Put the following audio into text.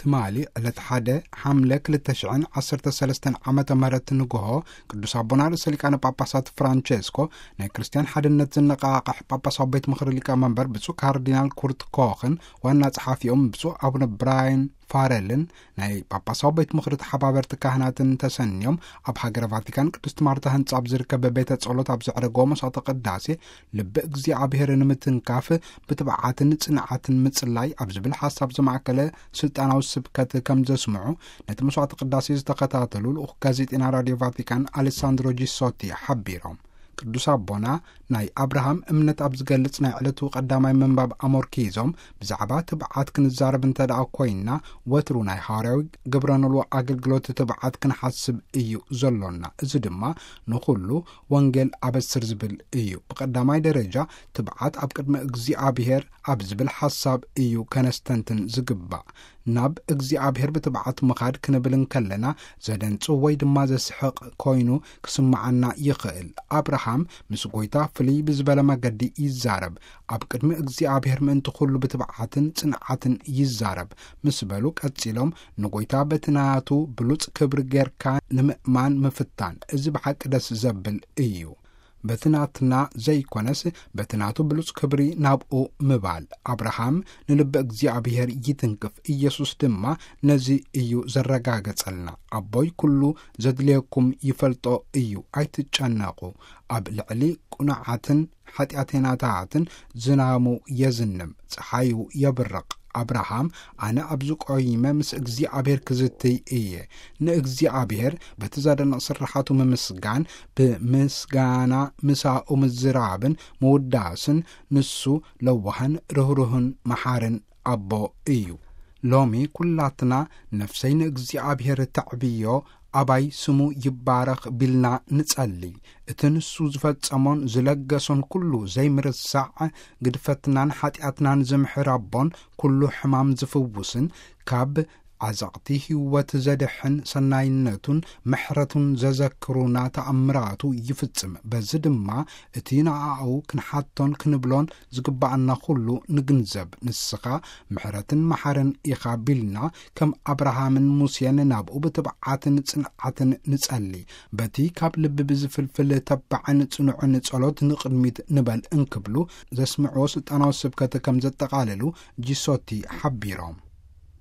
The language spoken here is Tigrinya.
ትማሊ ዕለት ሓደ ሓምለ ክልተ ሽሕን ዓሰርተ ሰለስተን ዓመተ ምህረት ንግሆ፣ ቅዱስ ኣቦና ርእሰ ሊቃነ ጳጳሳት ፍራንቸስኮ ናይ ክርስትያን ሓድነት ዝነቓቕሕ ጳጳሳዊ ቤት ምኽሪ ሊቀመንበር ብፁዕ ካርዲናል ኩርት ኮኽን ዋና ጸሓፊኦም ብፁዕ ኣቡነ ብራያን ፋረልን ናይ ጳጳሳዊ ቤት ምኽሪ ተሓባበርቲ ካህናትን ተሰንዮም ኣብ ሃገረ ቫቲካን ቅድስት ማርታ ህንጻ ኣብ ዝርከብ ቤተ ጸሎት ኣብ ዘዕረገዎ መስዋዕተ ቅዳሴ ልቢ እግዚኣብሔር ንምትንካፍ ብትብዓትን ጽንዓትን ምጽላይ ኣብ ዝብል ሓሳብ ዝማእከለ ስልጣናዊ ስብከት ከም ዘስምዑ ነቲ መስዋዕተ ቅዳሴ ዝተኸታተሉ ልኡኽ ጋዜጠኛ ራድዮ ቫቲካን ኣሌሳንድሮ ጂሶቲ ሓቢሮም። ቅዱስ ኣቦና ናይ ኣብርሃም እምነት ኣብ ዝገልጽ ናይ ዕለቱ ቀዳማይ ምንባብ ኣሞርኪዞም ብዛዕባ ትብዓት ክንዛረብ እንተ ደኣ ኮይንና ወትሩ ናይ ሃዋርያዊ ግብረ ኖልዎ ኣገልግሎት ትብዓት ክንሓስብ እዩ ዘሎና። እዚ ድማ ንኹሉ ወንጌል ኣበስር ዝብል እዩ። ብቐዳማይ ደረጃ ትብዓት ኣብ ቅድሚ እግዚኣብሔር ኣብ ዝብል ሓሳብ እዩ ከነስተንትን ዝግባእ። ናብ እግዚኣብሔር ብትብዓት ምኻድ ክንብል እንከለና ዘደንጹ ወይ ድማ ዘስሕቕ ኮይኑ ክስምዓና ይኽእል። ኣብርሃም ምስ ጎይታ ፍልይ ብዝበለ መገዲ ይዛረብ። ኣብ ቅድሚ እግዚኣብሔር ምእንቲ ኩሉ ብትብዓትን ጽንዓትን ይዛረብ ምስ በሉ ቀጺሎም ንጎይታ በቲ ናቱ ብሉጽ ክብሪ ጌርካ ንምእማን ምፍታን እዚ ብሓቂ ደስ ዘብል እዩ። በቲ ናትና ዘይኮነስ በቲ ናቱ ብሉጽ ክብሪ ናብኡ ምባል። ኣብርሃም ንልቢ እግዚኣብሔር ይትንክፍ። ኢየሱስ ድማ ነዚ እዩ ዘረጋገጸልና። ኣቦይ ኩሉ ዘድልየኩም ይፈልጦ እዩ፣ ኣይትጨነቑ። ኣብ ልዕሊ ቁኑዓትን ሓጢኣተኛታትን ዝናሙ የዝንም፣ ጸሓዩ የብርቕ። ኣብርሃም ኣነ ኣብዚ ቆይመ ምስ እግዚኣብሔር ክዝትይ እየ። ንእግዚኣብሔር በቲ ዘደንቕ ስርሓቱ ምምስጋን፣ ብምስጋና ምሳኡ ምዝራብን ምውዳስን፣ ንሱ ለዋህን ርህሩህን መሓርን ኣቦ እዩ። ሎሚ ኩላትና ነፍሰይ ንእግዚኣብሔር ተዕብዮ፣ ኣባይ ስሙ ይባረኽ ቢልና ንጸሊ። እቲ ንሱ ዝፈጸሞን ዝለገሶን ኩሉ ዘይምርሳዕ፣ ግድፈትናን ሓጢኣትናን ዝምሕር ኣቦን ኩሉ ሕማም ዝፍውስን ካብ ዓዘቕቲ ህይወት ዘድሕን ሰናይነቱን ምሕረቱን ዘዘክሩና ተኣምራቱ ይፍጽም። በዚ ድማ እቲ ንኣኡ ክንሓቶን ክንብሎን ዝግባኣና ኩሉ ንግንዘብ። ንስኻ ምሕረትን መሓርን ኢኻ ቢልና ከም ኣብርሃምን ሙሴን ናብኡ ብትብዓትን ጽንዓትን ንጸሊ። በቲ ካብ ልቢ ብዝፍልፍል ተባዕን ጽኑዕን ጸሎት ንቕድሚት ንበል እንክብሉ ዘስምዕዎ ስልጣናዊ ስብከት ከም ዘጠቓለሉ ጂሶቲ ሓቢሮም።